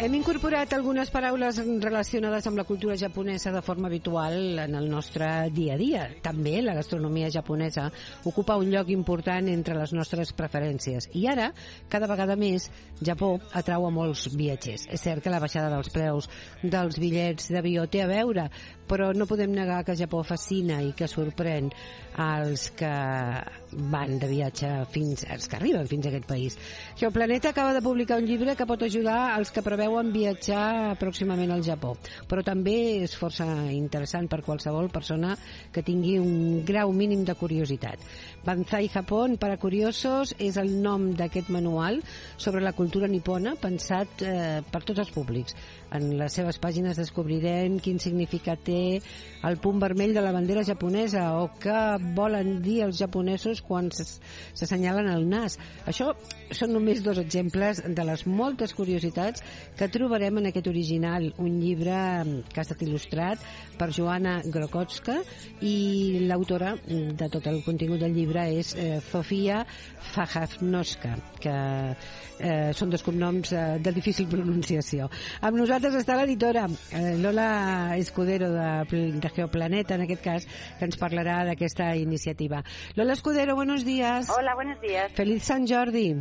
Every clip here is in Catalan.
Hem incorporat algunes paraules relacionades amb la cultura japonesa de forma habitual en el nostre dia a dia. També la gastronomia japonesa ocupa un lloc important entre les nostres preferències. I ara, cada vegada més, Japó atrau a molts viatgers. És cert que la baixada dels preus dels bitllets d'avió té a veure, però no podem negar que Japó fascina i que sorprèn als que van de viatge als que arriben fins a aquest país. Geoplaneta acaba de publicar un llibre que pot ajudar als que preveuen viatjar pròximament al Japó, però també és força interessant per qualsevol persona que tingui un grau mínim de curiositat. Banzai Japón para curiosos és el nom d'aquest manual sobre la cultura nipona pensat per tots els públics. En les seves pàgines descobrirem quin significat té el punt vermell de la bandera japonesa o què volen dir els japonesos quan s'assenyalen el nas. Això són només dos exemples de les moltes curiositats que trobarem en aquest original, un llibre que ha estat il·lustrat per Joanna Grokowska i l'autora de tot el contingut del llibre és Zofia Fajavnoska, que són dos cognoms de difícil pronunciació. Amb nosaltres està l'editora Lola Escudero de Geoplaneta, en aquest cas, que ens parlarà d'aquesta iniciativa. Lola Escudero, buenos días. Hola, buenos días. Feliz San Jordi.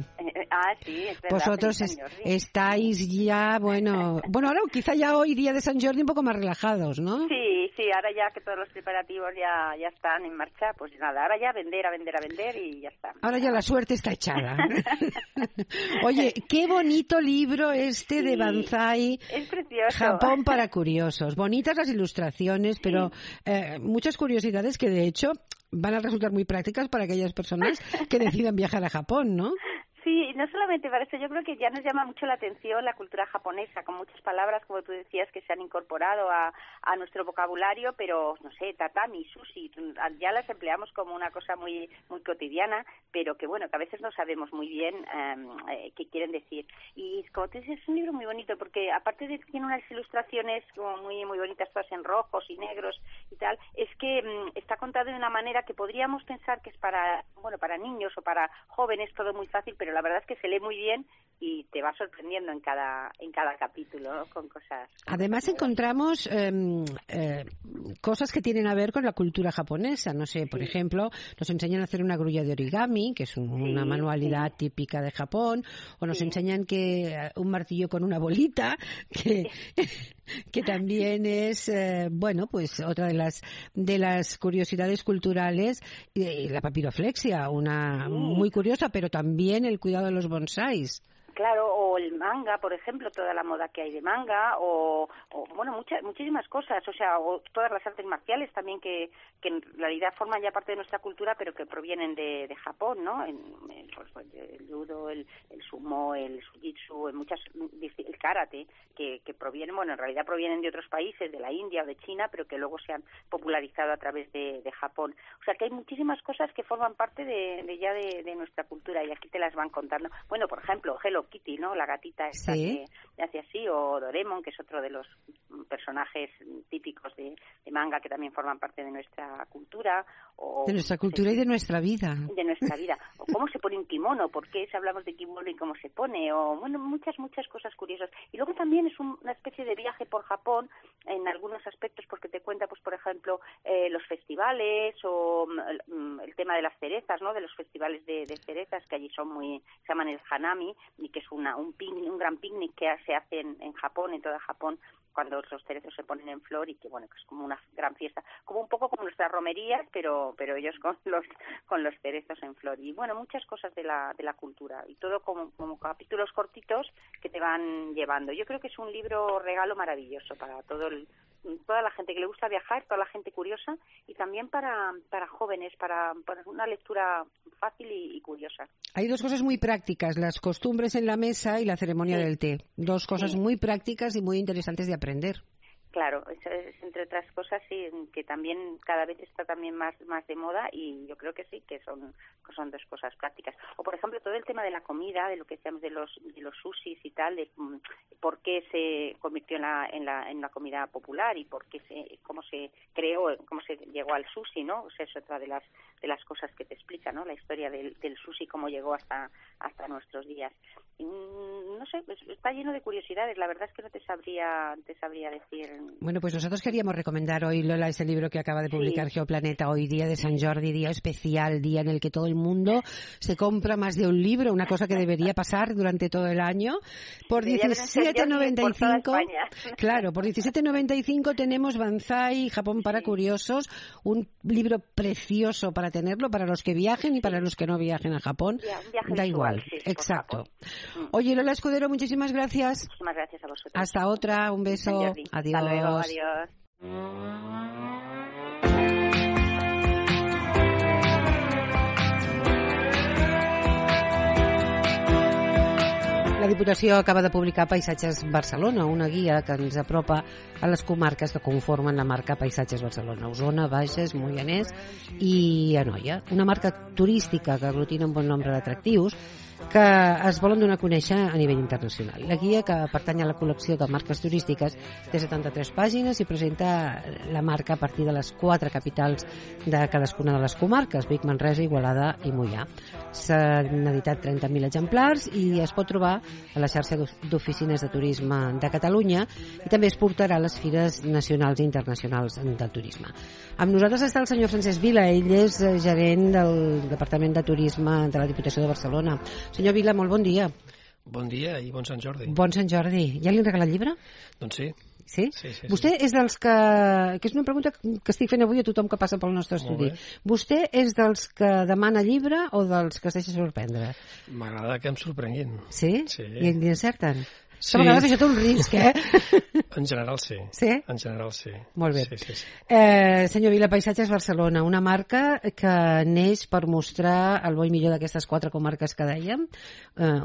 Sí, es verdad. Vosotros estáis ya, bueno, ahora quizá ya hoy, día de San Jordi, un poco más relajados, ¿no? Sí, ahora ya que todos los preparativos ya están en marcha, pues nada, ahora ya a vender y ya está. Ahora ya la suerte está echada. Oye, qué bonito libro de Banzai. Es precioso. Japón para curiosos. Bonitas las ilustraciones, pero muchas curiosidades que de hecho van a resultar muy prácticas para aquellas personas que decidan viajar a Japón, ¿no? Sí, no solamente para eso, yo creo que ya nos llama mucho la atención la cultura japonesa, con muchas palabras, como tú decías, que se han incorporado a nuestro vocabulario, pero, no sé, tatami, sushi, ya las empleamos como una cosa muy muy cotidiana, pero que, bueno, que a veces no sabemos muy bien qué quieren decir. Y, como tú dices, es un libro muy bonito, porque aparte de que tiene unas ilustraciones como muy muy bonitas, todas en rojos y negros y tal, es que está contado de una manera que podríamos pensar que es para niños o para jóvenes, todo muy fácil, pero la verdad es que se lee muy bien y te va sorprendiendo en cada capítulo, ¿no? Con cosas. Además encontramos cosas que tienen a ver con la cultura japonesa. No sé, por ejemplo, nos enseñan a hacer una grulla de origami, que es una manualidad típica de Japón, o nos enseñan que un martillo con una bolita, que también es, pues otra de las curiosidades culturales, la papiroflexia, una muy curiosa, pero también el cuidado de los bonsáis. Claro, o el manga, por ejemplo, toda la moda que hay de manga, o muchísimas cosas, o sea, o todas las artes marciales también que en realidad forman ya parte de nuestra cultura, pero que provienen de Japón, ¿no? El judo, el sumo, el jiu-jitsu, el karate, que provienen, en realidad provienen de otros países, de la India o de China, pero que luego se han popularizado a través de Japón. O sea, que hay muchísimas cosas que forman parte de nuestra cultura y aquí te las van contando. Bueno, por ejemplo, Hello Kitty, ¿no? La gatita esta que hace así, o Doraemon, que es otro de los personajes típicos de manga que también forman parte de nuestra cultura. De nuestra cultura y de nuestra vida. De nuestra vida. O cómo se pone un kimono, por qué hablamos de kimono y cómo se pone, o muchas cosas curiosas. Y luego también es una especie de viaje por Japón en algunos aspectos, porque te cuenta, pues por ejemplo, los festivales o el tema de las cerezas, ¿no? De los festivales de cerezas que allí se llaman el Hanami, y que es un gran picnic que se hace en Japón, en toda Japón, cuando los cerezos se ponen en flor y que es como una gran fiesta, como un poco como nuestras romerías, pero ellos con los cerezos en flor. Y muchas cosas de la cultura y todo como capítulos cortitos que te van llevando. Yo creo que es un libro regalo maravilloso para toda la gente que le gusta viajar, toda la gente curiosa y también para jóvenes, para una lectura fácil y curiosa. Hay dos cosas muy prácticas, las costumbres en la mesa y la ceremonia del té. Dos cosas muy prácticas y muy interesantes de aprender. Claro, eso es, entre otras cosas, sí, que también cada vez está también más de moda, y yo creo que sí, que son dos cosas prácticas. O, por ejemplo, todo el tema de la comida, de lo que decíamos de los sushis y tal, de por qué se convirtió en la comida popular y cómo se creó, cómo se llegó al sushi, ¿no? O sea, es otra de las cosas que te explica, ¿no? La historia del sushi, cómo llegó hasta nuestros días. No sé, está lleno de curiosidades. La verdad es que no te sabría decir. Bueno, pues nosotros queríamos recomendar hoy, Lola, ese libro que acaba de publicar Geoplaneta hoy, Día de San Jordi, día especial, día en el que todo el mundo se compra más de un libro, una cosa que debería pasar durante todo el año. Por 17,95, claro, por 17,95 tenemos Banzai, Japón para curiosos, un libro precioso para tenerlo, para los que viajen y para los que no viajen a Japón. Da igual, exacto. Oye, Lola Escudero, muchísimas gracias. Muchísimas gracias a vosotros. Hasta otra, un beso. Adiós. Hasta luego, adiós. La Diputació acaba de publicar Paisatges Barcelona, una guia que ens apropa a les comarques que conformen la marca Paisatges Barcelona, Osona, Bages, Moianès i Anoia. Una marca turística que aglutina un bon nombre d'atractius que es volen donar a conèixer a nivell internacional. La guia, que pertany a la col·lecció de marques turístiques, té 73 pàgines i presenta la marca a partir de les 4 capitals de cadascuna de les comarques, Vic, Manresa, Igualada i Moià. S'han editat 30.000 exemplars i es pot trobar a la xarxa d'oficines de turisme de Catalunya, i també es portarà a les fires nacionals i internacionals del turisme. Amb nosaltres està el senyor Francesc Vila, ell és gerent del Departament de Turisme de la Diputació de Barcelona. Senyor Vila, molt bon dia. Bon dia i bon Sant Jordi. Bon Sant Jordi. Ja li han regalat llibre? Doncs sí. Sí? Sí. Vostè és dels que és una pregunta que estic fent avui a tothom que passa pel nostre estudi. Vostè és dels que demana llibre o dels que es deixa sorprendre? M'agrada que em sorprenguin. Sí? Sí. I li encerten? Sí. A vegades això té un risc, En general sí. Sí? En general sí. Molt bé. Sí. Senyor Vila, Paisatges Barcelona, una marca que neix per mostrar el bo i millor d'aquestes 4 comarques que dèiem,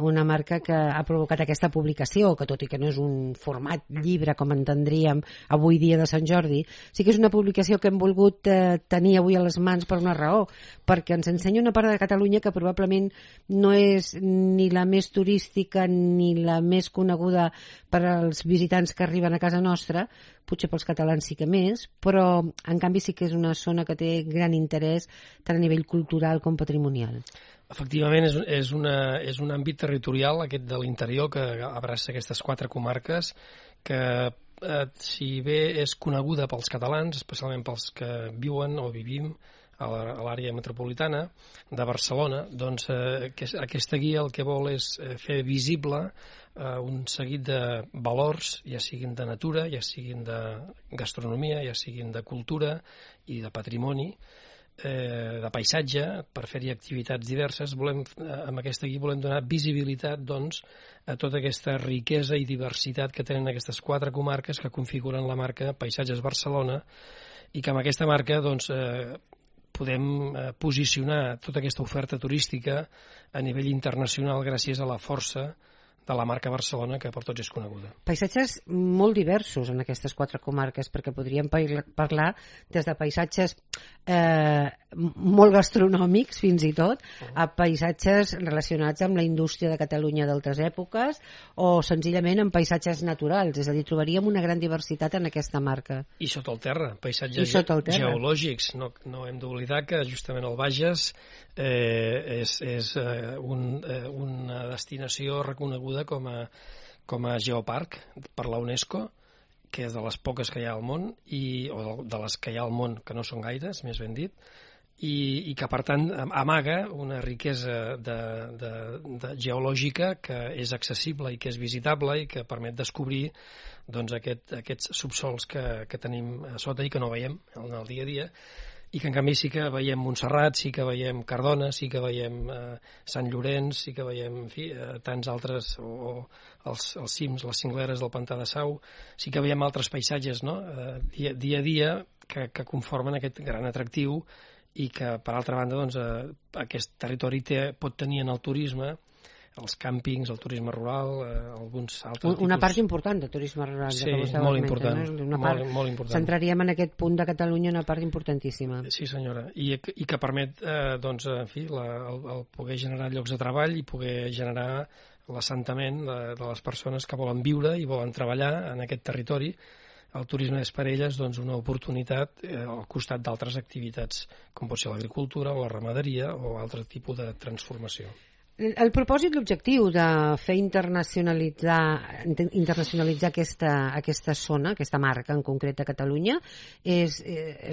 una marca que ha provocat aquesta publicació, que tot i que no és un format llibre com entendríem avui dia de Sant Jordi, sí que és una publicació que hem volgut tenir avui a les mans per una raó, perquè ens ensenya una part de Catalunya que probablement no és ni la més turística ni la més coneguda per als visitants que arriben a casa nostra, potser pels catalans sí que més, però en canvi sí que és una zona que té gran interès tant a nivell cultural com patrimonial. Efectivament, és un àmbit territorial, aquest de l'interior, que abraça aquestes 4 comarques, que si bé és coneguda pels catalans, especialment pels que viuen o vivim a l'àrea metropolitana de Barcelona, doncs aquesta guia el que vol és fer visible un seguit de valors, ja siguin de natura, ja siguin de gastronomia, ja siguin de cultura i de patrimoni, de paisatge, per fer-hi activitats diverses. Amb aquesta guia volem donar visibilitat, doncs, a tota aquesta riquesa i diversitat que tenen aquestes 4 comarques que configuren la marca Paisatges Barcelona, i que amb aquesta marca, doncs, podem posicionar tota aquesta oferta turística a nivell internacional gràcies a la força de la marca Barcelona, que per tots és coneguda. Paisatges molt diversos en aquestes 4 comarques, perquè podríem parlar des de paisatges molt gastronòmics, fins i tot, a paisatges relacionats amb la indústria de Catalunya d'altres èpoques, o senzillament amb paisatges naturals, és a dir, trobaríem una gran diversitat en aquesta marca. I sota el terra, paisatges geològics. No hem d'oblidar que justament el Bages és una destinació reconeguda com a geoparc per la UNESCO, que és de les poques que hi ha al món, o de les que hi ha al món, que no són gaires, més ben dit, i que, per tant, amaga una riquesa geològica que és accessible i que és visitable i que permet descobrir, doncs, aquests subsols que tenim a sota i que no veiem en el dia a dia, i que en canvi sí que veiem Montserrat, sí que veiem Cardona, sí que veiem Sant Llorenç, sí que veiem, en fi, tants altres, o els cims, les cingleres del Pantà de Sau, sí que veiem altres paisatges, no?, dia a dia que conformen aquest gran atractiu, i que, per altra banda, doncs, aquest territori pot tenir en el turisme els càmpings, el turisme rural, alguns altres tipus. Una part important de turisme rural. Sí, molt important. Molt important. Centraríem en aquest punt de Catalunya una part importantíssima. Sí, senyora, i que permet doncs, en fi, el poder generar llocs de treball i poder generar l'assentament de les persones que volen viure i volen treballar en aquest territori. El turisme és per elles doncs, una oportunitat al costat d'altres activitats, com pot ser l'agricultura o la ramaderia o altre tipus de transformació. El propòsit, l'objectiu de fer internacionalitzar aquesta zona, aquesta marca en concret a Catalunya, és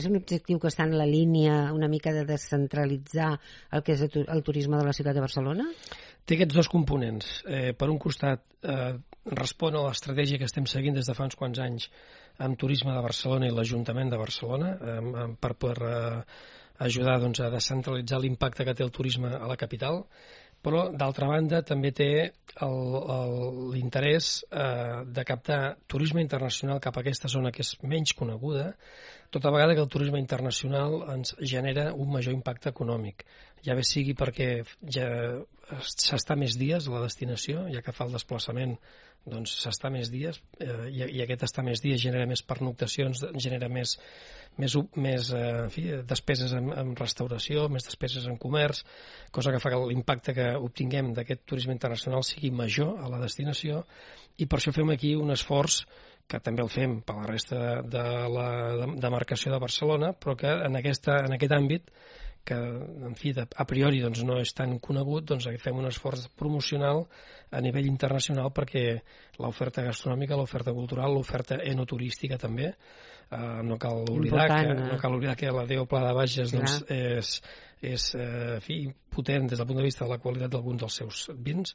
un objectiu que està en la línia una mica de descentralitzar el que és el turisme de la ciutat de Barcelona? Té aquests dos components. Per un costat, respon a l'estratègia que estem seguint des de fa uns quants anys amb Turisme de Barcelona i l'Ajuntament de Barcelona per poder ajudar doncs, a descentralitzar l'impacte que té el turisme a la capital, però d'altra banda també té l'interès de captar turisme internacional cap a aquesta zona que és menys coneguda, tota vegada que el turisme internacional ens genera un major impacte econòmic. Ja bé sigui perquè ja s'està més dies a la destinació, ja que fa el desplaçament doncs s'està més dies i aquest estar més dies genera més pernoctacions, genera més en fi, despeses en restauració, més despeses en comerç, cosa que fa que l'impacte que obtinguem d'aquest turisme internacional sigui major a la destinació, i per això fem aquí un esforç que també el fem per la resta de la demarcació de Barcelona, però que en aquest àmbit que en fi, a priori doncs, no és tan conegut, doncs fem un esforç promocional a nivell internacional perquè l'oferta gastronòmica, l'oferta cultural, l'oferta enoturística també, no cal oblidar que la Déu Pla de Bages doncs, és en fi, potent des del punt de vista de la qualitat d'alguns dels seus vins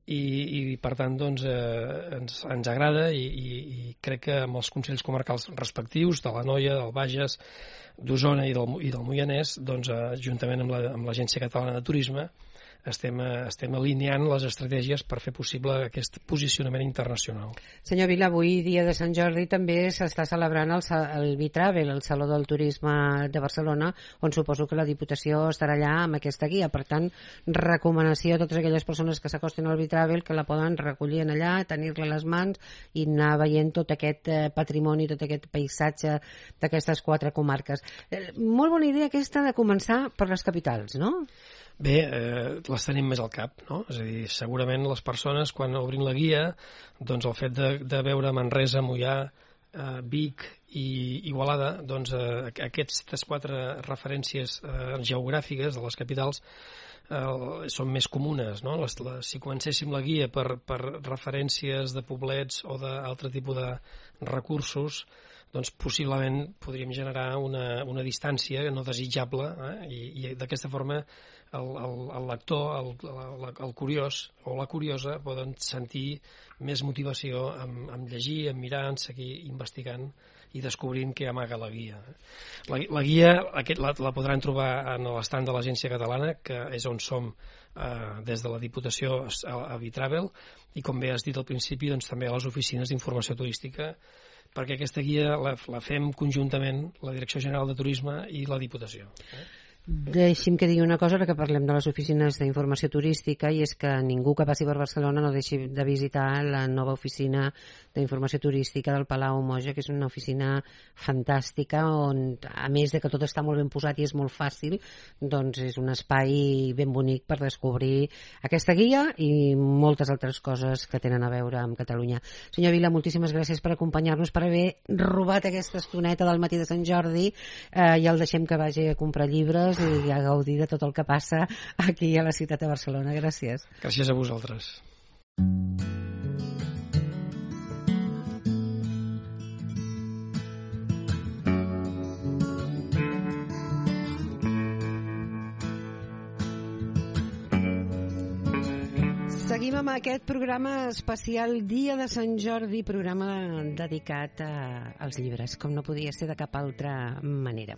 i per tant doncs, ens agrada i crec que amb els consells comarcals respectius de l'Anoia, del Bages, d'Osona i del Moianès, doncs, juntament amb l'Agència Catalana de Turisme, estem alineant les estratègies per fer possible aquest posicionament internacional. Senyor Vila, avui, dia de Sant Jordi, també s'està celebrant el Bitravel, el Saló del Turisme de Barcelona, on suposo que la Diputació estarà allà amb aquesta guia. Per tant, recomanació a totes aquelles persones que s'acosten al Bitravel que la poden recollir en allà, tenir-la a les mans i anar veient tot aquest patrimoni, tot aquest paisatge d'aquestes 4 comarques. Molt bona idea aquesta de començar per les capitals, no? Bé, les tenim més al cap, no? És a dir, segurament les persones, quan obrin la guia, doncs el fet de veure Manresa, Moià, Vic i Igualada, doncs aquestes 4 referències geogràfiques de les capitals són més comunes, no? Si comencéssim la guia per referències de poblets o d'altre tipus de recursos, doncs possiblement podríem generar una distància no desitjable, i d'aquesta forma el lector, el curiós o la curiosa poden sentir més motivació en llegir, en mirar, en seguir investigant i descobrint què amaga la guia. La guia la podran trobar en l'estand de l'Agència Catalana, que és on som des de la Diputació a Bitravel, i com bé has dit al principi, doncs, també a les oficines d'informació turística, perquè aquesta guia la fem conjuntament la Direcció General de Turisme i la Diputació. Deixi'm que digui una cosa, ara que parlem de les oficines d'informació turística, i és que ningú que passi per Barcelona no deixi de visitar la nova oficina d'informació turística del Palau Moja, que és una oficina fantàstica on, a més de que tot està molt ben posat i és molt fàcil, doncs és un espai ben bonic per descobrir aquesta guia i moltes altres coses que tenen a veure amb Catalunya. Senyor Vila, moltíssimes gràcies per acompanyar-nos, per haver robat aquesta estoneta del matí de Sant Jordi. Ja el deixem que vagi a comprar llibres i a gaudir de tot el que passa aquí a la ciutat de Barcelona. Gràcies. Gràcies a vosaltres. Seguim amb aquest programa especial Dia de Sant Jordi, programa dedicat als llibres, com no podia ser de cap altra manera.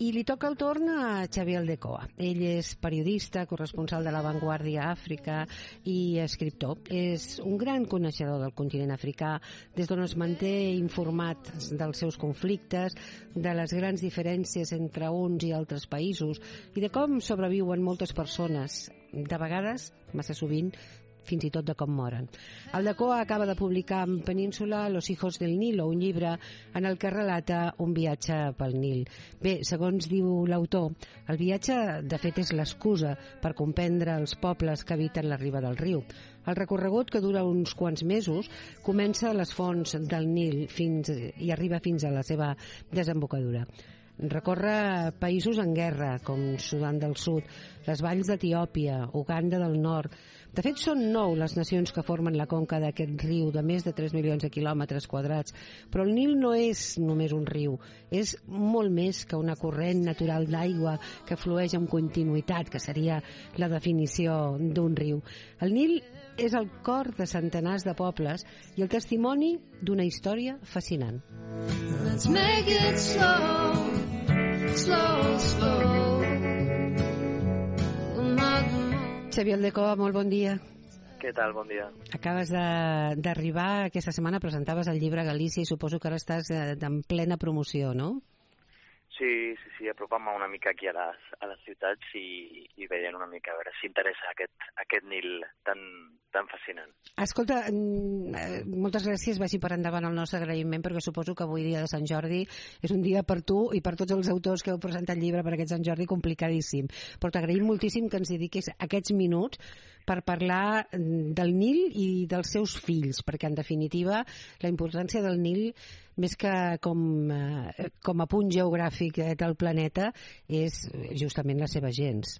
I li toca el torn a Xavier Aldecoa. Ell és periodista, corresponsal de La Vanguardia a Àfrica i escriptor. És un gran coneixedor del continent africà, des d'on es manté informat dels seus conflictes, de les grans diferències entre uns i altres països i de com sobreviuen moltes persones, de vegades, massa sovint, fins i tot de com moren. Aldecoa acaba de publicar en Península Los hijos del Nilo, un llibre en el que relata un viatge pel Nil. Bé, segons diu l'autor, el viatge de fet és l'excusa per comprendre els pobles que habiten la riba del riu. El recorregut, que dura uns quants mesos, comença a les fonts del Nil i arriba fins a la seva desembocadura. Recorre països en guerra, com Sudan del Sud, les valls d'Etiòpia, Uganda del Nord. De fet, són 9 les nacions que formen la conca d'aquest riu de més de 3 milions de quilòmetres quadrats. Però el Nil no és només un riu, és molt més que una corrent natural d'aigua que flueix amb continuïtat, que seria la definició d'un riu. El Nil és el cor de centenars de pobles i el testimoni d'una història fascinant. Let's make it slow, slow, slow. Xavier Aldecoa, molt bon dia. Què tal? Bon dia. Acabes d'arribar aquesta setmana, presentaves el llibre a Galícia i suposo que ara estàs en plena promoció, no? Sí, apropant-me una mica aquí a les ciutats i veient una mica a veure si interessa aquest Nil tan fascinant. Escolta, moltes gràcies, vagi per endavant el nostre agraïment, perquè suposo que avui, dia de Sant Jordi, és un dia per tu i per tots els autors que heu presentat llibre per aquest Sant Jordi complicadíssim. Però t'agraïm moltíssim que ens dediquis aquests minuts per parlar del Nil i dels seus fills, perquè en definitiva la importància del Nil, més que com a punt geogràfic del planeta, és justament la seva gens.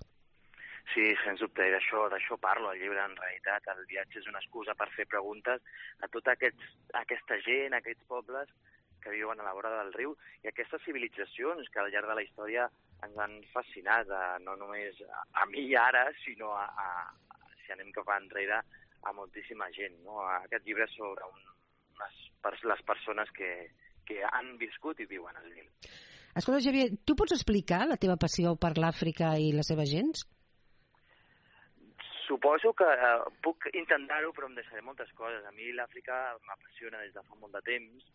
Sí, sens dubte, d'això parlo al llibre. En realitat, el viatge és una excusa per fer preguntes a tota aquesta gent, a aquests pobles que viuen a la vora del riu i aquestes civilitzacions que al llarg de la història ens han fascinat, no només a mi ara, sinó si anem cap enrere, a moltíssima gent. No? Aquest llibre és sobre les persones que han viscut i viuen al Nil. Escolta, Xavier, tu pots explicar la teva passió per l'Àfrica i la seva gens? Suposo que puc intentar-ho, però em deixaré moltes coses. A mi l'Àfrica m'apassiona des de fa molt de temps,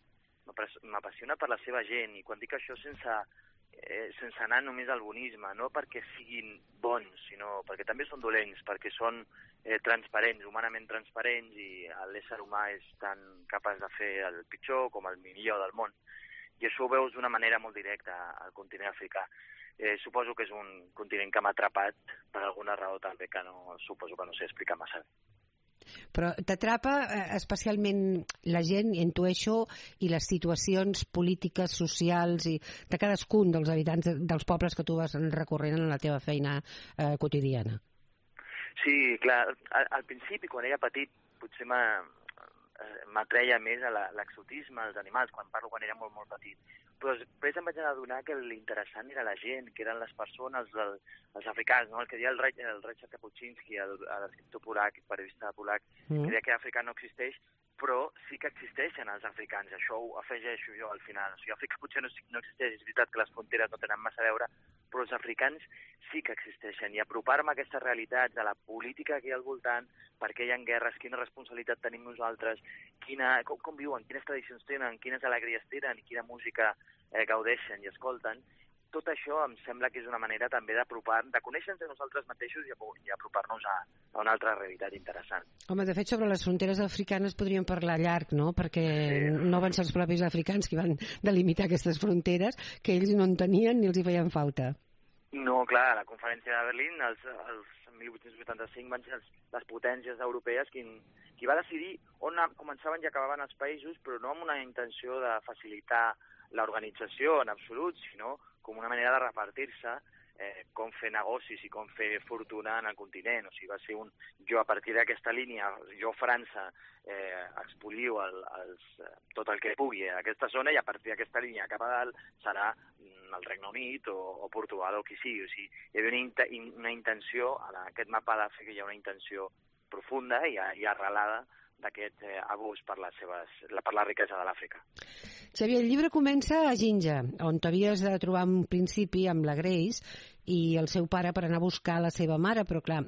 m'apassiona per la seva gent, i quan dic això sense anar només al bonisme, no perquè siguin bons, sinó perquè també són dolents, perquè són transparents, humanament transparents, i l'ésser humà és tan capaç de fer el pitjor com el millor del món. I això ho veus d'una manera molt directa al continent africà. Suposo que és un continent que m'ha atrapat per alguna raó també que suposo que no sé explicar massa bé. Però t'atrapa especialment la gent, intueixo, i les situacions polítiques, socials i de cadascun dels habitants dels pobles que tu vas recorrent en la teva feina quotidiana. Sí, clar, al principi, quan era petit, potser m'atreia més a l'exotisme, als animals, quan era molt, molt petit. Però després em vaig adonar que l'interessant era la gent, que eren les persones, els africans, no? El que deia el Ryszard Kapuscinski, l'escriptor polac, periodista polac, que deia que Àfrica no existeix, però sí que existeixen els africans. Això ho afegeixo jo al final. O sigui, Àfrica potser no existeix, és veritat que les fronteres no tenen massa a veure, però els africans sí que existeixen. I apropar-me a aquestes realitats, a la política que hi ha al voltant, per què hi ha guerres, quina responsabilitat tenim nosaltres, com viuen, quines tradicions tenen, quines alegries tenen i quina música gaudeixen i escolten, tot això em sembla que és una manera també de conèixer-nos a nosaltres mateixos i apropar-nos a una altra realitat interessant. Home, de fet, sobre les fronteres africanes podríem parlar llarg, no? Perquè no van ser els propis africans que van delimitar aquestes fronteres, que ells no en tenien ni els hi feien falta. No, clar, a la conferència de Berlín, els 1885 van ser les potències europees qui va decidir on començaven i acabaven els països, però no amb una intenció de facilitar l'organització en absolut, sinó com una manera de repartir-se com fer negocis i com fer fortuna en el continent. O sigui, va ser jo a partir d'aquesta línia, jo França expolio tot el que pugui a aquesta zona, i a partir d'aquesta línia cap a dalt serà el Regne Unit o Portugal o qui sigui. O sigui, hi havia una intenció, en aquest mapa d'Àfrica hi ha una intenció profunda i arrelada d'aquest abús per la riquesa de l'Àfrica. Xavier, el llibre comença a Jinja, on t'havies de trobar en principi amb la Grace i el seu pare per anar a buscar la seva mare, però clar,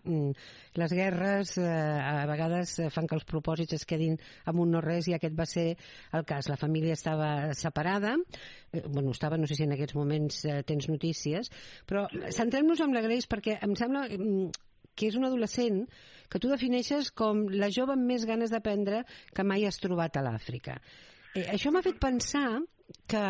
les guerres a vegades fan que els propòsits es quedin amb un no res, i aquest va ser el cas. La família estava separada, no sé si en aquests moments tens notícies, però centrem-nos en la Grace perquè em sembla que és un adolescent que tu defineixes com la jove amb més ganes d'aprendre que mai has trobat a l'Àfrica. Això m'ha fet pensar que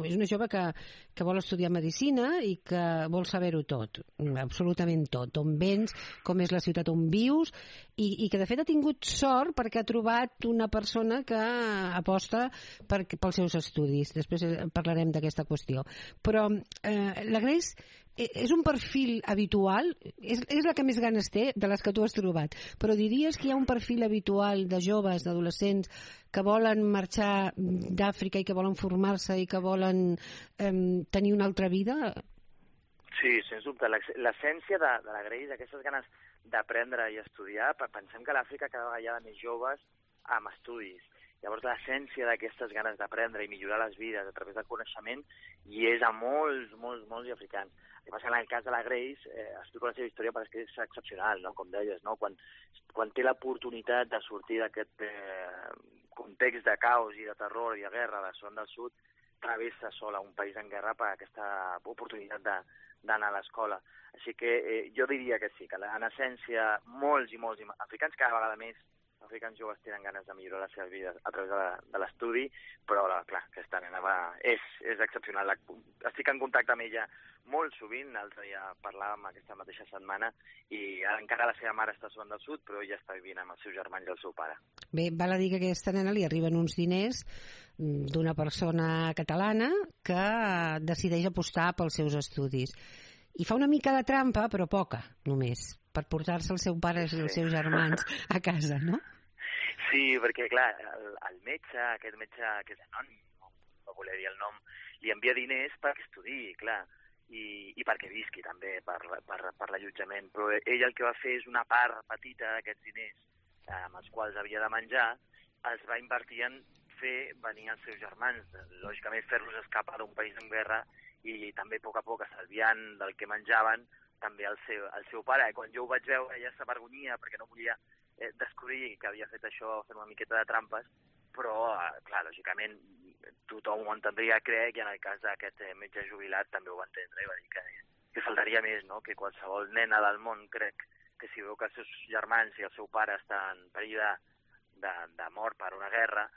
és una jove que vol estudiar medicina i que vol saber-ho tot, absolutament tot, d'on vens, com és la ciutat on vius, i que de fet ha tingut sort perquè ha trobat una persona que aposta pels seus estudis. Després parlarem d'aquesta qüestió. Però la Grace és un perfil habitual, és la que més ganes té de les que tu has trobat, però diries que hi ha un perfil habitual de joves, d'adolescents que volen marxar d'Àfrica i que volen formar-se i que volen tenir una altra vida? Sí, sens dubte. L'essència de la Grace, aquestes ganes d'aprendre i estudiar, pensem que a l'Àfrica cada vegada hi ha més joves amb estudis. Llavors, l'essència d'aquestes ganes d'aprendre i millorar les vides a través del coneixement hi és a molts africans. El que passa en el cas de la Grace, explico la seva història perquè és excepcional, no? Com deies, no? Quan té l'oportunitat de sortir d'aquest context de caos i de terror i de guerra de Sudan del Sud, travessa sola un país en guerra per aquesta oportunitat d'anar a l'escola. Així que jo diria que sí, que en essència molts africans, cada vegada més africans joves tenen ganes de millorar les seves vides a través de l'estudi, però clar, aquesta nena és excepcional. Estic en contacte amb ella molt sovint, l'altre dia parlàvem aquesta mateixa setmana, i encara la seva mare està a Sudan del Sud, però ella està vivint amb els seus germans i el seu pare. Bé, val a dir que a aquesta nena li arriben uns diners d'una persona catalana que decideix apostar pels seus estudis. I fa una mica de trampa, però poca, només, per portar-se el seu pare i els seus germans a casa, no? Sí, perquè, clar, el metge, aquest metge que és anònim, no voler dir el nom, li envia diners perquè estudiï, clar, i perquè visqui també per l'allotjament. Però ell el que va fer és una part petita d'aquests diners amb els quals havia de menjar, els va invertir en fer venir els seus germans, lògicament fer-los escapar d'un país en guerra i també a poc estalviant del que menjaven també el seu pare. Quan jo ho vaig veure, ella s'avergonyia perquè no volia descobrir que havia fet això, fer una miqueta de trampes, però, clar, lògicament, tothom ho entendria, crec, i en el cas d'aquest metge jubilat també ho va entendre i va dir que faltaria més, no?, que qualsevol nena del món, crec, que si veu que els seus germans i el seu pare estan en perill de mort per una guerra,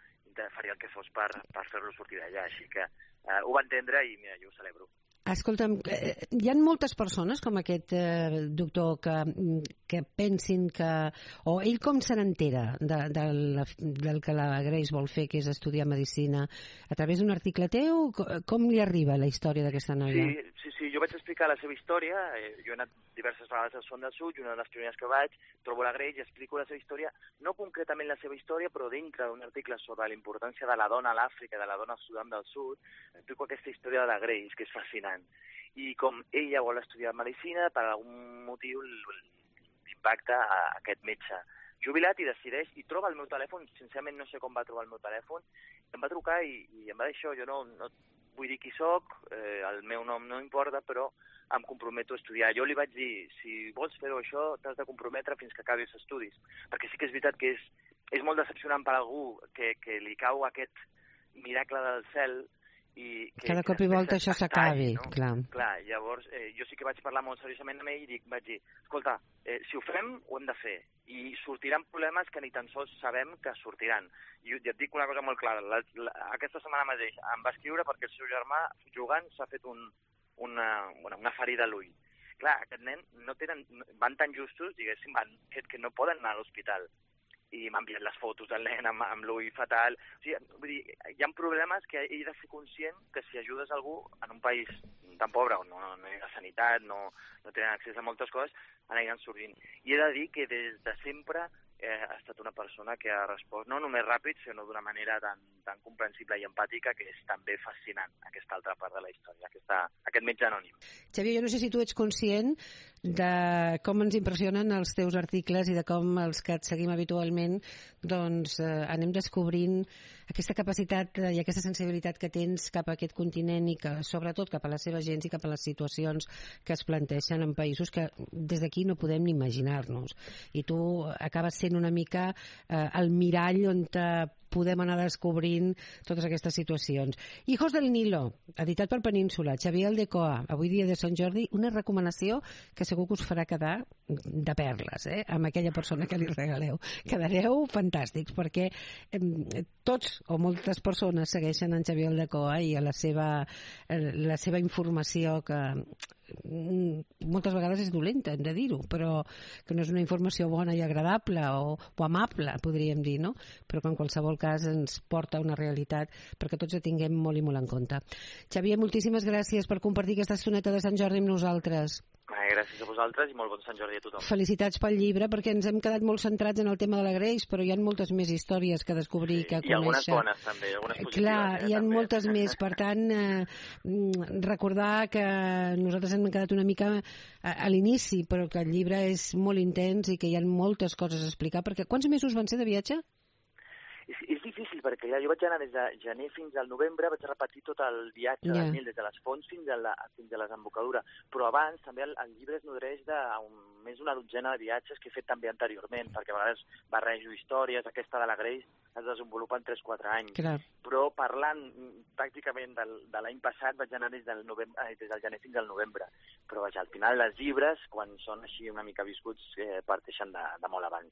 faria el que fos per fer-lo sortir d'allà. Així que ho va entendre i, mira, jo ho celebro. Escolta'm, hi ha moltes persones com aquest doctor que pensin que... O ell com se n'entera del que la Grace vol fer, que és estudiar medicina? A través d'un article teu? Com li arriba la història d'aquesta noia? Sí, jo vaig explicar la seva història. Jo he anat diverses vegades al Sudan del Sud, i una de les primeres que vaig, trobo la Grace i explico la seva història, no concretament la seva història, però dintre d'un article sobre la importància de la dona a l'Àfrica, de la dona al Sudan del Sud, explico aquesta història de la Grace, que és fascinant. I com ella vol estudiar medicina, per algun motiu l'impacta a aquest metge jubilat i decideix, i troba el meu telèfon, sincerament no sé com va trobar el meu telèfon, em va trucar i em va dir això, jo no vull dir qui soc, el meu nom no importa, però em comprometo a estudiar. Jo li vaig dir, si vols fer-ho això, t'has de comprometre fins que acabis els estudis, perquè sí que és veritat que és molt decepcionant per algú que li cau aquest miracle del cel i que cada cop i volta això s'acabi, no? Clar, llavors jo sí que vaig parlar molt seriosament amb ell i vaig dir, escolta, si ho fem, ho hem de fer, i sortiran problemes que ni tan sols sabem que sortiran. I et dic una cosa molt clara, aquesta setmana mateix em va escriure perquè el seu germà, jugant, s'ha fet una ferida a l'ull. Clar, aquest nen van tan justos, diguéssim, que no poden anar a l'hospital. I m'han enviat les fotos del nen amb l'ull fatal. O sigui, vull dir, hi ha problemes que ell ha de ser conscient que si ajudes algú en un país tan pobre on no hi ha sanitat, no tenen accés a moltes coses, aniran sorgint. I he de dir que des de sempre ha estat una persona que ha respost no només ràpid, sinó d'una manera tan comprensible i empàtica, que és també fascinant aquesta altra part de la història, aquest metge anònim. Xavier, jo no sé si tu ets conscient de com ens impressionen els teus articles i de com els que et seguim habitualment doncs anem descobrint aquesta capacitat i aquesta sensibilitat que tens cap a aquest continent i que sobretot cap a la seva gent i cap a les situacions que es planteixen en països que des d'aquí no podem ni imaginar-nos. I tu acabes sent una mica el mirall on podem anar descobrint totes aquestes situacions. Hijos del Nilo, editat per Península, Xavier Aldecoa, avui dia de Sant Jordi, una recomanació que segur que us farà quedar de perles, amb aquella persona que li regaleu. Quedareu fantàstics, perquè tots o moltes persones segueixen en Xavier Aldecoa i a la seva informació que moltes vegades és dolenta, hem de dir-ho, però que no és una informació bona i agradable o amable, podríem dir, no? Però que en qualsevol cas ens porta a una realitat perquè tots ho tinguem molt i molt en compte. Xavier, moltíssimes gràcies per compartir aquesta estoneta de Sant Jordi amb nosaltres. Gràcies a vosaltres i molt bon Sant Jordi a tothom. Felicitats pel llibre, perquè ens hem quedat molt centrats en el tema de la Grace, però hi ha moltes més històries que descobrir, que conèixer. I algunes bones també, algunes positives. Clar, hi ha moltes més, per tant, recordar que nosaltres hem quedat una mica a l'inici, però que el llibre és molt intens i que hi ha moltes coses a explicar, perquè quants mesos van ser de viatge? És difícil, perquè jo vaig anar des de gener fins al novembre, vaig repetir tot el viatge del Nil, des de les fonts fins a la desembocadura. Però abans també el llibre es nodreix de més d'una dotzena de viatges que he fet també anteriorment, perquè a vegades barrejo històries, aquesta de la Grace es desenvolupa en 3-4 anys. Clar. Però parlant pràcticament de l'any passat vaig anar des del gener fins al novembre. Però vaja, al final els llibres, quan són així una mica viscuts, parteixen de molt abans.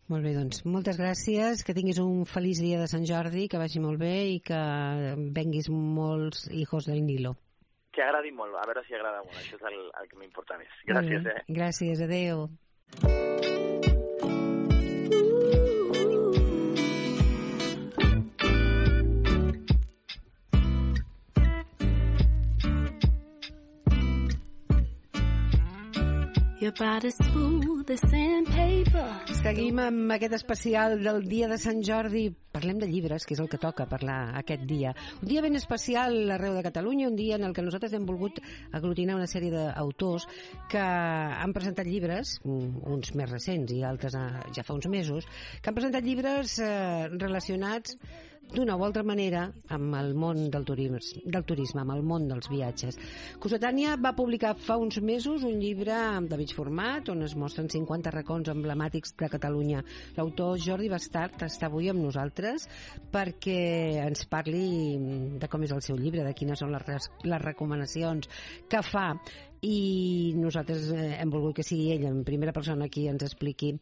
Molt bé, doncs, moltes gràcies, que tinguis un feliç dia de Sant Jordi, que vagi molt bé i que venguis molts Hijos del Nilo. Que agradi molt, a veure si agrada molt, això és el que m'importa més. Gràcies, Gràcies, adeu. Seguim amb aquest especial del dia de Sant Jordi. Parlem de llibres, que és el que toca parlar aquest dia. Un dia ben especial arreu de Catalunya, un dia en el que nosaltres hem volgut aglutinar una sèrie d'autors que han presentat llibres, uns més recents i altres ja fa uns mesos, que han presentat llibres relacionats d'una o altra manera amb el món del turisme, amb el món dels viatges. Cossetània va publicar fa uns mesos un llibre de mig format on es mostren 50 racons emblemàtics de Catalunya. L'autor Jordi Bastart està avui amb nosaltres perquè ens parli de com és el seu llibre, de quines són les recomanacions que fa, i nosaltres hem volgut que sigui ell en primera persona qui ens expliqui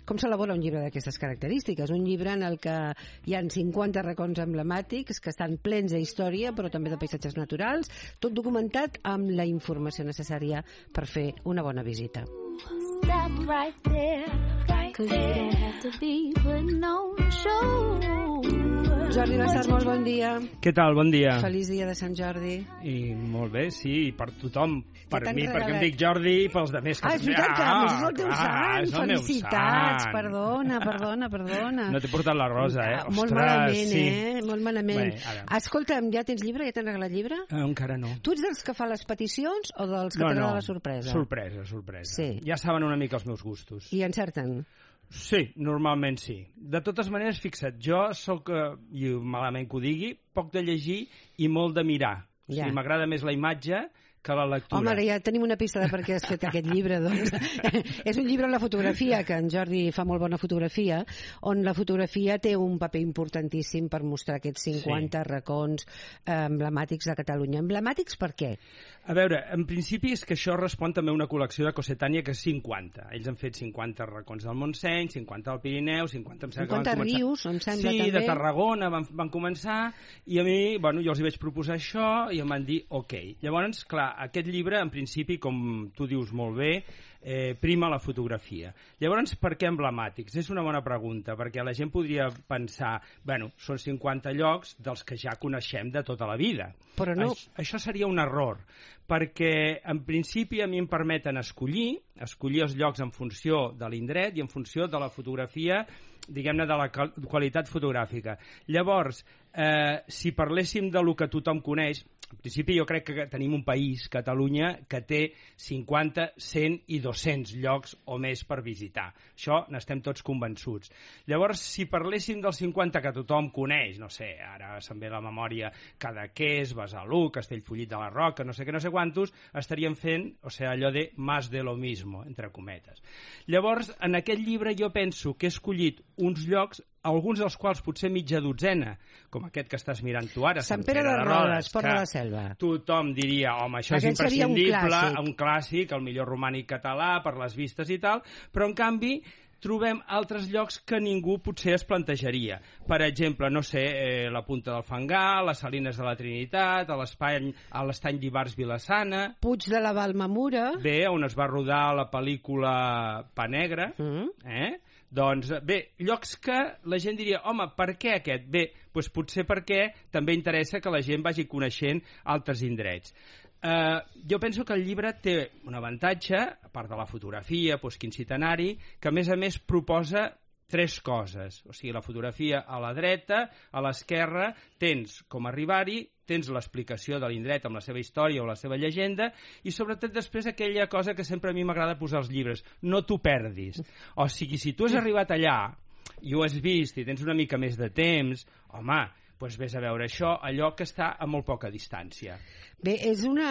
com s'elabora un llibre d'aquestes característiques, un llibre en el que hi ha 50 racons emblemàtics que estan plens d'història però també de paisatges naturals, tot documentat amb la informació necessària per fer una bona visita. Stop right there, right there. Jordi Bastart, molt bon dia. Què tal? Bon dia. Feliç dia de Sant Jordi. I molt bé, sí, i per tothom. Per mi, perquè em dic Jordi, i pels altres. És veritat que és el teu sant. Felicitats. Perdona. No t'he portat la rosa, Ostres, molt malament, sí. Molt malament. Escolta'm, ja tens llibre? Ja t'han regalat llibre? Encara no. Tu ets dels que fa les peticions o dels que t'agrada la sorpresa? Sorpresa. Sí. Ja saben una mica els meus gustos. I encerten? Sí, normalment sí. De totes maneres, fixa't, jo sóc, i malament que ho digui, poc de llegir i molt de mirar. O sigui, m'agrada més la imatge que la lectura. Home, ara ja tenim una pista de per què has fet aquest llibre, doncs. És un llibre on la fotografia, que en Jordi fa molt bona fotografia, on la fotografia té un paper importantíssim per mostrar aquests 50 racons emblemàtics de Catalunya. Emblemàtics per què? A veure, en principi és que això respon també a una col·lecció de Cossetània que és 50. Ells han fet 50 racons del Montseny, 50 al Pirineu, 50 rius, em sembla, també. Sí, de Tarragona van començar, i a mi, bueno, jo els hi vaig proposar això, i em van dir, ok. Llavors, clar, aquest llibre, en principi, com tu dius molt bé, prima la fotografia. Llavors, per què emblemàtics? És una bona pregunta, perquè la gent podria pensar, bueno, són 50 llocs dels que ja coneixem de tota la vida. Però no. Això seria un error, perquè en principi a mi em permeten escollir els llocs en funció de l'indret i en funció de la fotografia diguem-ne, de la qualitat fotogràfica. Llavors, si parléssim de lo que tothom coneix, en principi jo crec que tenim un país, Catalunya, que té 50, 100 i 200 llocs o més per visitar. Això n'estem tots convençuts. Llavors, si parléssim dels 50 que tothom coneix, no sé, ara se'm ve la memòria Cadaqués, Besalú, Castellfollit de la Roca, no sé què, no sé quantos, estaríem fent, o sigui, allò de más de lo mismo, entre cometes. Llavors, en aquest llibre jo penso que he escollit uns llocs, alguns dels quals potser mitja dotzena, com aquest que estàs mirant tu ara, Sant Pere de Rodes, Port de la Selva. Tothom diria, home, això és imprescindible, un clàssic, el millor romànic català, per les vistes i tal, però en canvi trobem altres llocs que ningú potser es plantejaria. Per exemple, no sé, la Punta del Fangar, les Salines de la Trinitat, a l'Estany d'Ivars Vilassana... Puig de la Valmamura... Bé, on es va rodar la pel·lícula Pa Negre, Doncs bé, llocs que la gent diria, home, per què aquest? Bé, doncs potser perquè també interessa que la gent vagi coneixent altres indrets. Jo penso que el llibre té un avantatge, a part de la fotografia, quincentenari, que a més proposa tres coses. O sigui, la fotografia a la dreta, a l'esquerra, tens com arribar-hi, tens l'explicació de l'indret amb la seva història o la seva llegenda i sobretot després aquella cosa que sempre a mi m'agrada posar als llibres, no t'ho perdis. O sigui, si tu has arribat allà i ho has vist i tens una mica més de temps, home, doncs vés a veure això, allò que està a molt poca distància. Bé, és un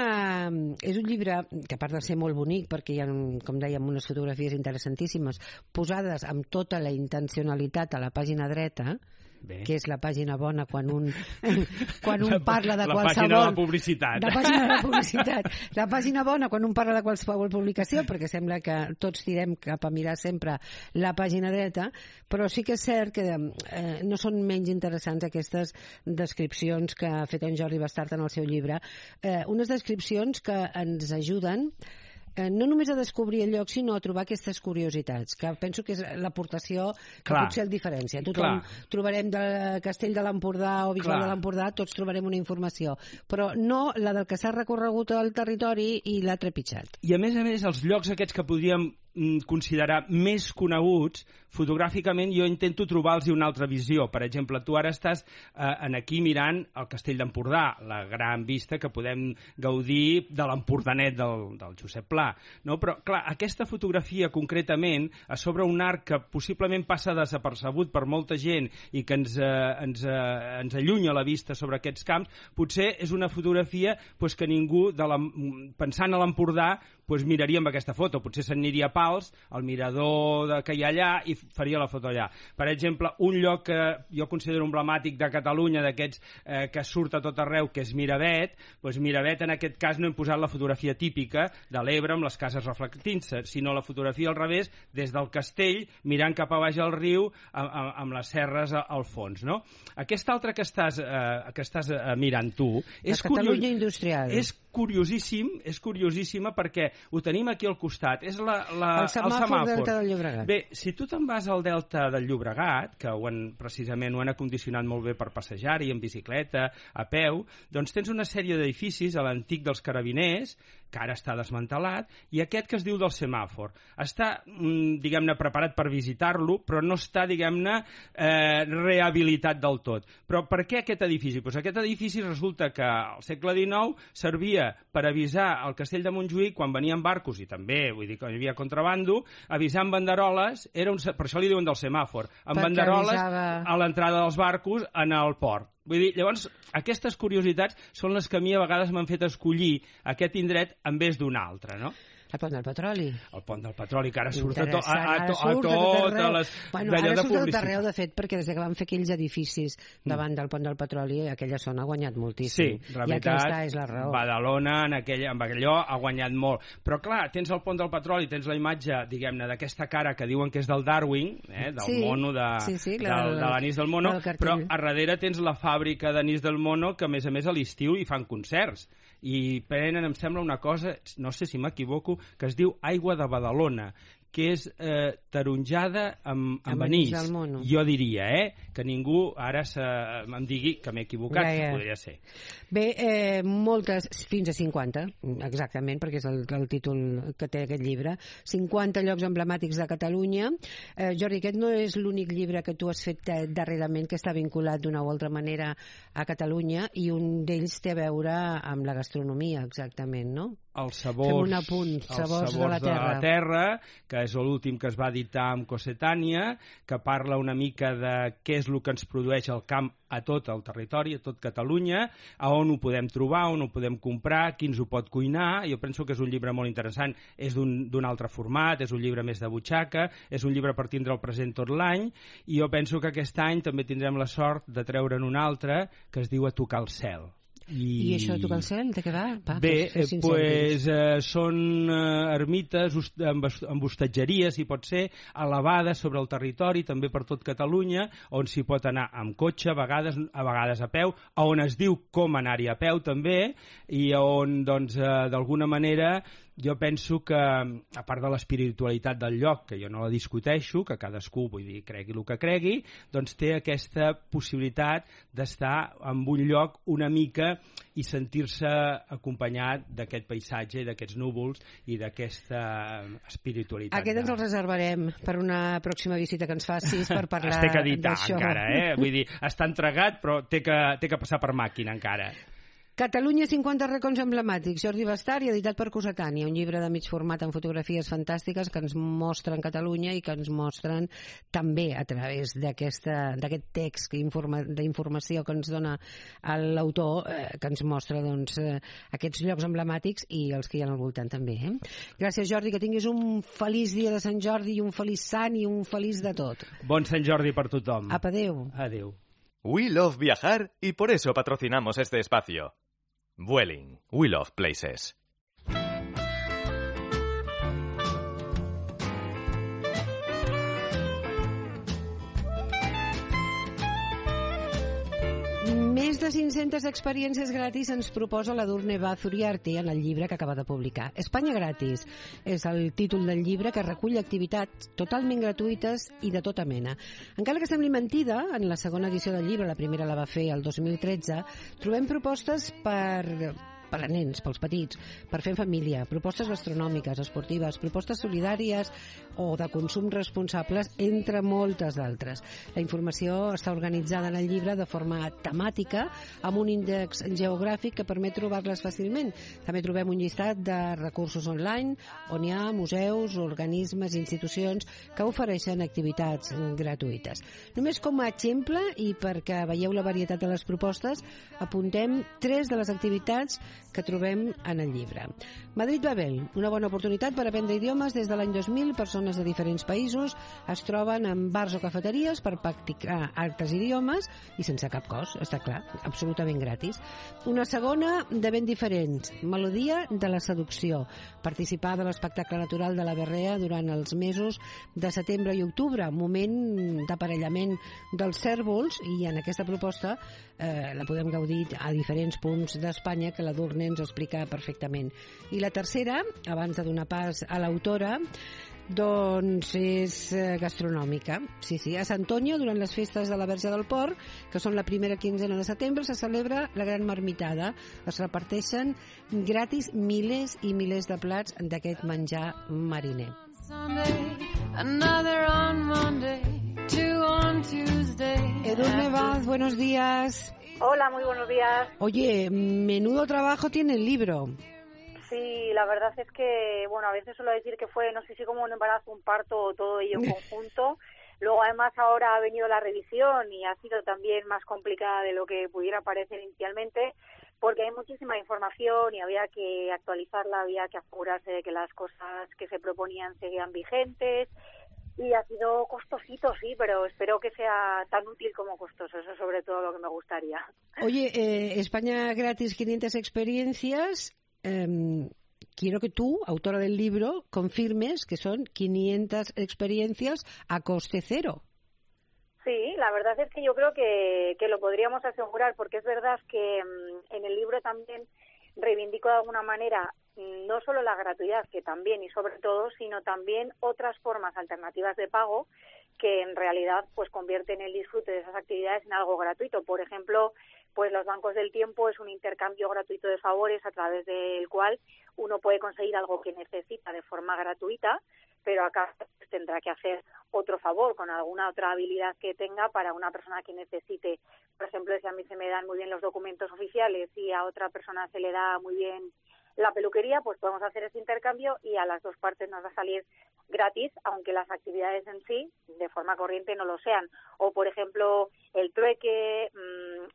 llibre que a part de ser molt bonic, perquè hi ha, com dèiem, unes fotografies interessantíssimes, posades amb tota la intencionalitat a la pàgina dreta, bé, que és la pàgina bona quan un parla de qualsevol... La pàgina de la publicitat. La pàgina de la publicitat. La pàgina bona quan un parla de qualsevol publicació, perquè sembla que tots tirem cap a mirar sempre la pàgina dreta, però sí que és cert que no són menys interessants aquestes descripcions que ha fet en Jordi Bastart en el seu llibre. Unes descripcions que ens ajuden no només a descobrir el lloc, sinó a trobar aquestes curiositats, que penso que és l'aportació que potser el diferència. Tothom trobarem del Castell de l'Empordà o Bisbal de l'Empordà, tots trobarem una informació, però no la del que s'ha recorregut al territori i l'ha trepitjat. I a més, els llocs aquests que podríem considerar més coneguts, fotogràficament jo intento trobar-los una altra visió. Per exemple, tu ara estàs aquí mirant el Castell d'Empordà, la gran vista que podem gaudir de l'Empordanet del Josep Pla. No? Però, clar, aquesta fotografia concretament, a sobre un arc que possiblement passa desapercebut per molta gent i que ens allunya la vista sobre aquests camps, potser és una fotografia que ningú, pensant a l'Empordà, miraria amb aquesta foto. Potser se'n aniria a Pals, al mirador que hi ha allà, i faria la foto allà. Per exemple, un lloc que jo considero emblemàtic de Catalunya, d'aquests que surt a tot arreu, que és Miravet, Miravet en aquest cas no hem posat la fotografia típica de l'Ebre amb les cases reflectint-se, sinó la fotografia al revés, des del castell, mirant cap a baix al riu, amb les serres al fons. No? Aquesta altra que estàs mirant tu... La Catalunya industrial. És curiosíssima perquè ho tenim aquí al costat. És el semàfor del Delta del Llobregat. Bé, si tu te'n vas al Delta del Llobregat, que precisament ho han acondicionat molt bé per passejar-hi, en bicicleta, a peu, doncs tens una sèrie d'edificis a l'antic dels Carabiners, que ara està desmantelat, i aquest que es diu del semàfor. Està, diguem-ne, preparat per visitar-lo, però no està, diguem-ne, rehabilitat del tot. Però per què aquest edifici? Doncs aquest edifici resulta que al segle XIX servia per avisar al castell de Montjuïc quan venien barcos, i també, vull dir que hi havia contrabando, avisar amb banderoles, per això li diuen del semàfor, amb banderoles a l'entrada dels barcos en el port. Vull dir, llavors, aquestes curiositats són les que a mi a vegades m'han fet escollir aquest indret en vez d'un altre, no? El Pont del Petroli. El Pont del Petroli, que ara surt a totes les... Ara surt a tot arreu, de fet, perquè des que van fer aquells edificis davant del Pont del Petroli, aquella zona ha guanyat moltíssim. Sí, la veritat, i aquesta és la raó. Badalona, amb allò, ha guanyat molt. Però, clar, tens el Pont del Petroli, tens la imatge, diguem-ne, d'aquesta cara que diuen que és del Darwin, del mono, de l'anís del mono, però a darrere tens la fàbrica d'anís del mono, que a més a l'estiu hi fan concerts. I prenen, em sembla, una cosa, no sé si m'equivoco, que es diu Aigua de Badalona, que és taronjada amb anís. Jo diria, que ningú ara em digui que m'he equivocat, que podria ser. Bé, moltes, fins a 50, exactament, perquè és el títol que té aquest llibre. 50 llocs emblemàtics de Catalunya. Jordi, aquest no és l'únic llibre que tu has fet darrerament que està vinculat d'una o altra manera a Catalunya, i un d'ells té a veure amb la gastronomia, exactament, no? Els sabors de la terra, que és l'últim que es va editar amb Cossetània, que parla una mica de què és el que ens produeix el camp a tot el territori, a tot Catalunya, a on ho podem trobar, on ho podem comprar, qui ens ho pot cuinar. Jo penso que és un llibre molt interessant. És d'un altre format, és un llibre més de butxaca, és un llibre per tindre el present tot l'any, i jo penso que aquest any també tindrem la sort de treure'n un altre que es diu A tocar el cel. I això de tocar el cel, de què va? Bé, són ermites amb hostatgeries, si pot ser, elevades sobre el territori, també per tot Catalunya, on s'hi pot anar amb cotxe, a vegades a peu, on es diu com anar-hi a peu també, i on, doncs, d'alguna manera, jo penso que, a part de l'espiritualitat del lloc, que jo no la discuteixo, que cadascú, vull dir, cregui el que cregui, doncs té aquesta possibilitat d'estar en un lloc una mica i sentir-se acompanyat d'aquest paisatge, d'aquests núvols i d'aquesta espiritualitat. Aquest ens el reservarem per una pròxima visita que ens facis per parlar d'això. Es té que editar encara, vull dir, està entregat però té que passar per màquina encara. Catalunya 50 racons emblemàtics, Jordi Bastari, editat per Cossetània, un llibre de mig format amb fotografies fantàstiques que ens mostren Catalunya i que ens mostren també a través d'aquest text d'informació que ens dona l'autor, que ens mostra aquests llocs emblemàtics i els que hi ha al voltant també. Gràcies, Jordi, que tinguis un feliç dia de Sant Jordi i un feliç sant i un feliç de tot. Bon Sant Jordi per tothom. Apa, adéu. Adéu. We love viajar y por eso patrocinamos este espacio. Vueling. We love places. Més de 500 experiències gratis ens proposa l'Edurne Baz Uriarte en el llibre que acaba de publicar. Espanya gratis és el títol del llibre, que recull activitats totalment gratuïtes i de tota mena. Encara que sembli mentida, en la segona edició del llibre, la primera la va fer el 2013, trobem propostes per a nens, pels petits, per fer en família, propostes gastronòmiques, esportives, propostes solidàries o de consum responsables, entre moltes d'altres. La informació està organitzada en el llibre de forma temàtica, amb un índex geogràfic que permet trobar-les fàcilment. També trobem un llistat de recursos online on hi ha museus, organismes i institucions que ofereixen activitats gratuïtes. Només com a exemple, i perquè veieu la varietat de les propostes, apuntem 3 de les activitats que trobem en el llibre. Madrid-Babel, una bona oportunitat per aprendre idiomes des de l'any 2000. Persones de diferents països es troben en bars o cafeteries per practicar altres idiomes i sense cap cost, està clar, absolutament gratis. Una segona de ben diferents, Melodia de la seducció, participar de l'espectacle natural de la Berrea durant els mesos de setembre i octubre, moment d'aparellament dels cérvols, i en aquesta proposta la podem gaudir a diferents punts d'Espanya, que l'Edurne ens explica perfectament. I la tercera, abans de donar pas a l'autora, doncs és gastronòmica. Sí, a Santonyà, durant les festes de la Verge del Port, que són la primera quinzena de setembre, se celebra la Gran Marmitada. Es reparteixen gratis milers i milers de plats d'aquest menjar mariner. Edurne Baz, buenos días. Hola, muy buenos días. Oye, menudo trabajo tiene el libro. Sí, la verdad es que, bueno, a veces suelo decir que fue, no sé si como un embarazo, un parto o todo ello en conjunto. Luego, además, ahora ha venido la revisión y ha sido también más complicada de lo que pudiera parecer inicialmente, porque hay muchísima información y había que actualizarla, había que asegurarse de que las cosas que se proponían seguían vigentes. Y ha sido costosito, sí, pero espero que sea tan útil como costoso. Eso es sobre todo lo que me gustaría. Oye, España gratis, 500 experiencias. Quiero que tú, autora del libro, confirmes que son 500 experiencias a coste cero. Sí, la verdad es que yo creo que lo podríamos asegurar, porque es verdad que en el libro también reivindico de alguna manera no solo la gratuidad, que también y sobre todo, sino también otras formas alternativas de pago que en realidad pues convierten el disfrute de esas actividades en algo gratuito. Por ejemplo, pues los bancos del tiempo es un intercambio gratuito de favores a través del cual uno puede conseguir algo que necesita de forma gratuita, pero acá tendrá que hacer otro favor con alguna otra habilidad que tenga para una persona que necesite. Por ejemplo, si a mí se me dan muy bien los documentos oficiales y a otra persona se le da muy bien la peluquería, pues podemos hacer ese intercambio y a las dos partes nos va a salir gratis, aunque las actividades en sí, de forma corriente, no lo sean. O, por ejemplo, el trueque,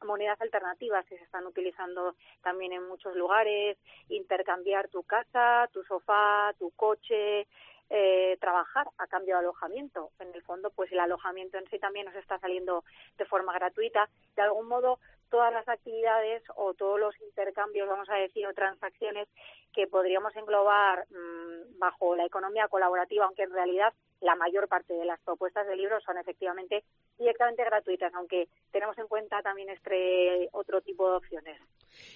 monedas alternativas que se están utilizando también en muchos lugares, intercambiar tu casa, tu sofá, tu coche, trabajar a cambio de alojamiento. En el fondo, pues el alojamiento en sí también nos está saliendo de forma gratuita. De algún modo, todas las actividades o todos los intercambios, vamos a decir, o transacciones que podríamos englobar bajo la economía colaborativa, aunque en realidad la mayor parte de las propuestas del libro son efectivamente directamente gratuitas, aunque tenemos en cuenta también este otro tipo de opciones.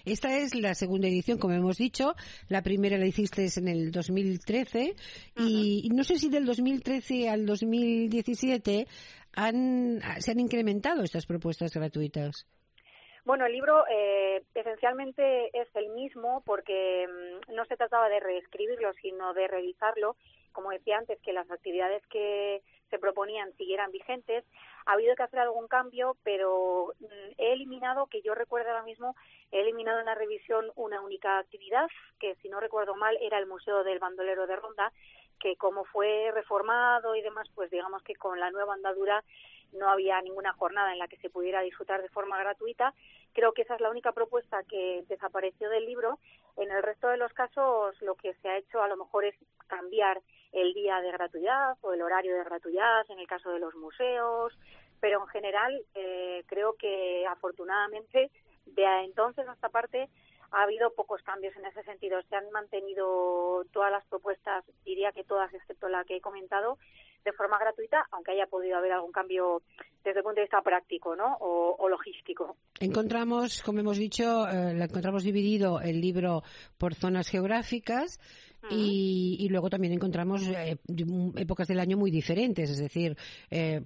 Esta es la segunda edición, como hemos dicho. La primera la hiciste en el 2013 y no sé si del 2013 al 2017 se han incrementado estas propuestas gratuitas. Bueno, el libro esencialmente es el mismo porque no se trataba de reescribirlo, sino de revisarlo. Como decía antes, que las actividades que se proponían siguieran vigentes. Ha habido que hacer algún cambio, pero he eliminado, que yo recuerdo ahora mismo, he eliminado en la revisión una única actividad, que si no recuerdo mal era el Museo del Bandolero de Ronda, que como fue reformado y demás, pues digamos que con la nueva andadura no había ninguna jornada en la que se pudiera disfrutar de forma gratuita. Creo que esa es la única propuesta que desapareció del libro. En el resto de los casos lo que se ha hecho a lo mejor es cambiar el día de gratuidad o el horario de gratuidad en el caso de los museos, pero en general creo que afortunadamente de entonces hasta esta parte ha habido pocos cambios en ese sentido. Se han mantenido todas las propuestas, diría que todas excepto la que he comentado, de forma gratuita, aunque haya podido haber algún cambio desde el punto de vista práctico, ¿no? O logístico. Encontramos, como hemos dicho, encontramos dividido el libro por zonas geográficas y luego también encontramos épocas del año muy diferentes, es decir,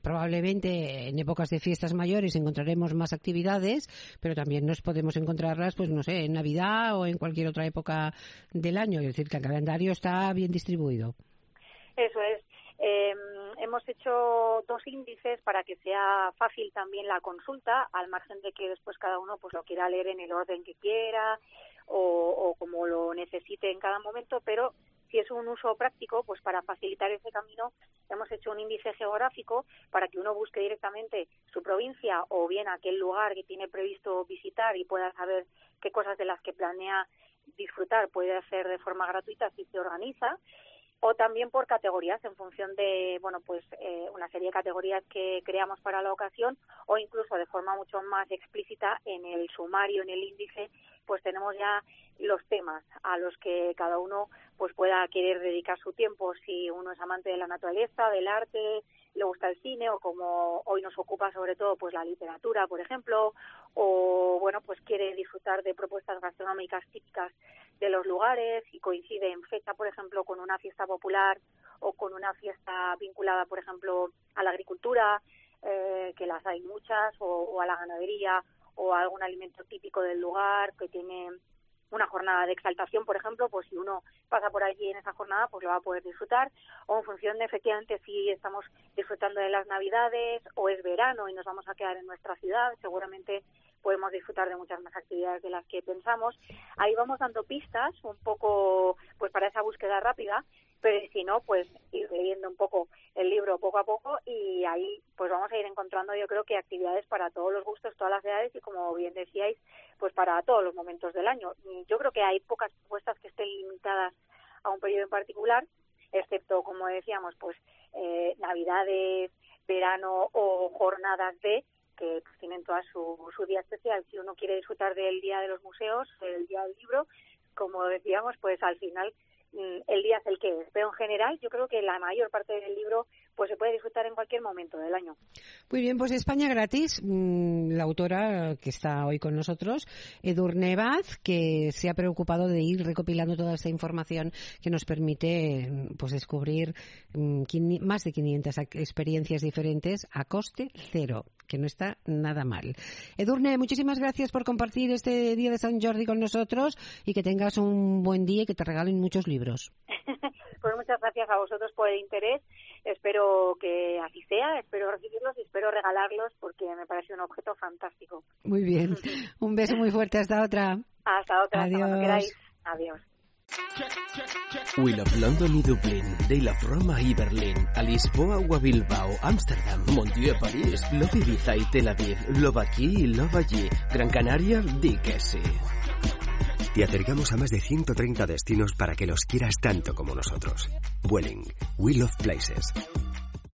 probablemente en épocas de fiestas mayores encontraremos más actividades, pero también nos podemos encontrarlas, pues no sé, en Navidad o en cualquier otra época del año, es decir, que el calendario está bien distribuido. Eso es. Hemos hecho 2 índices para que sea fácil también la consulta, al margen de que después cada uno pues lo quiera leer en el orden que quiera o como lo necesite en cada momento, pero si es un uso práctico, pues para facilitar ese camino hemos hecho un índice geográfico para que uno busque directamente su provincia o bien aquel lugar que tiene previsto visitar y pueda saber qué cosas de las que planea disfrutar puede hacer de forma gratuita si se organiza. O también por categorías, en función de, bueno, pues una serie de categorías que creamos para la ocasión, o incluso de forma mucho más explícita en el sumario, en el índice, pues tenemos ya los temas a los que cada uno pues pueda querer dedicar su tiempo, si uno es amante de la naturaleza, del arte, le gusta el cine, o como hoy nos ocupa sobre todo pues la literatura, por ejemplo, o bueno, pues quiere disfrutar de propuestas gastronómicas típicas de los lugares y coincide en fecha, por ejemplo, con una fiesta popular o con una fiesta vinculada, por ejemplo, a la agricultura, que las hay muchas, o a la ganadería, o a algún alimento típico del lugar que tiene una jornada de exaltación, por ejemplo, pues si uno pasa por allí en esa jornada, pues lo va a poder disfrutar, o en función de efectivamente si estamos disfrutando de las Navidades o es verano y nos vamos a quedar en nuestra ciudad, seguramente podemos disfrutar de muchas más actividades de las que pensamos. Ahí vamos dando pistas un poco pues para esa búsqueda rápida, pero si no, pues ir leyendo un poco el libro poco a poco y ahí pues vamos a ir encontrando, yo creo que actividades para todos los gustos, todas las edades y, como bien decíais, pues para todos los momentos del año. Yo creo que hay pocas propuestas que estén limitadas a un periodo en particular, excepto, como decíamos, pues Navidades, verano o jornadas que pues, tienen toda su día especial. Si uno quiere disfrutar del Día de los Museos, del Día del Libro, como decíamos, pues al final el día es el que es. Pero en general yo creo que la mayor parte del libro pues se puede disfrutar en cualquier momento del año. Muy bien, pues España Gratis, la autora que está hoy con nosotros, Edurne Baz, que se ha preocupado de ir recopilando toda esta información que nos permite pues descubrir más de 500 experiencias diferentes a coste cero, que no está nada mal. Edurne, muchísimas gracias por compartir este día de Sant Jordi con nosotros y que tengas un buen día y que te regalen muchos libros. Pues muchas gracias a vosotros por el interés. Espero que así sea, espero recibirlos y espero regalarlos porque me parece un objeto fantástico. Muy bien. Un beso muy fuerte. Hasta otra. Hasta otra. Adiós. Hasta cuando queráis. Adiós. We love London i Dublín, They love Roma i Berlín, a Lisboa o a Bilbao, Ámsterdam, Montiel, París, love Ibiza y Tel Aviv, love aquí y love allí, Gran Canaria, di que sí. Te acercamos a más de 130 destinos para que los quieras tanto como nosotros. Vueling, We Love Places.